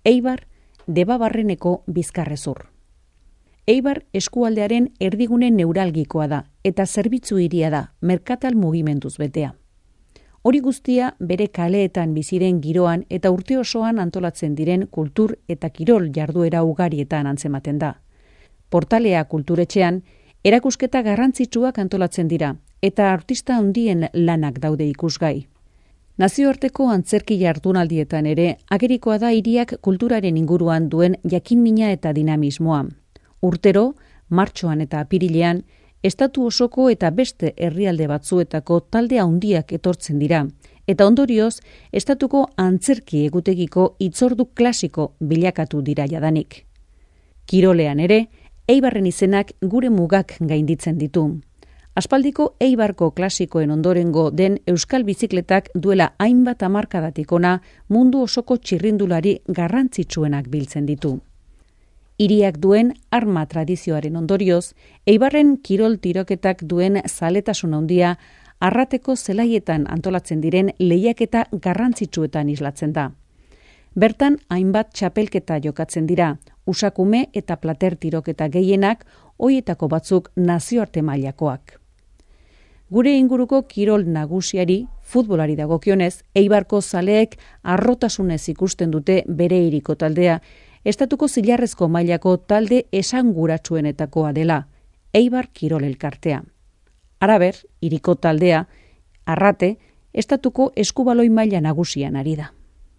Eibar, Debabarreneko Bizkarrezur. Eibar eskualdearen erdigune neuralgikoa da eta zerbitzu hiria da, merkatal mugimenduz betea. Hori guztia bere kaleetan biziren giroan eta urte osoan antolatzen diren kultur eta kirol jarduera ugarietan antzematen da. Portalea kulturetxean, erakusketa garrantzitsuak antolatzen dira eta artista handien lanak daude ikusgai. Nazioarteko antzerki jardunaldietan ere agerikoa da hiriak kulturaren inguruan duen jakinmina eta dinamismoa. Urtero, martxoan eta apirilean, estatu osoko eta beste herrialde batzuetako talde handiak etortzen dira, eta ondorioz, estatuko antzerki egutegiko hitzordu klasiko bilakatu dira jadanik. Kirolean ere, Eibarren izenak gure mugak gainditzen ditu. Aspaldiko Eibarko klasikoen ondorengo den euskal bizikletak duela hainbat hamarkadatik ona mundu osoko txirrindulari garrantzitsuenak biltzen ditu. Hiriak duen arma tradizioaren ondorioz, Eibarren kirol tiroketak duen zaletasun handia Arrateko zelaietan antolatzen diren lehiaketa garrantzitsuetan islatzen da. Bertan hainbat txapelketa jokatzen dira, usakume eta plater tiroketa gehienak, hoietako batzuk nazioarte mailakoak. Gure inguruko kirol nagusiari, futbolari dagokionez, Eibarko zaleek harrotasunez ikusten dute bere hiriko taldea, estatuko zilarrezko mailako talde esanguratsuenetakoa dela, Eibar Kirol Elkartea. Halaber, hiriko taldea, Arrate, estatuko eskubaloi maila nagusian ari da.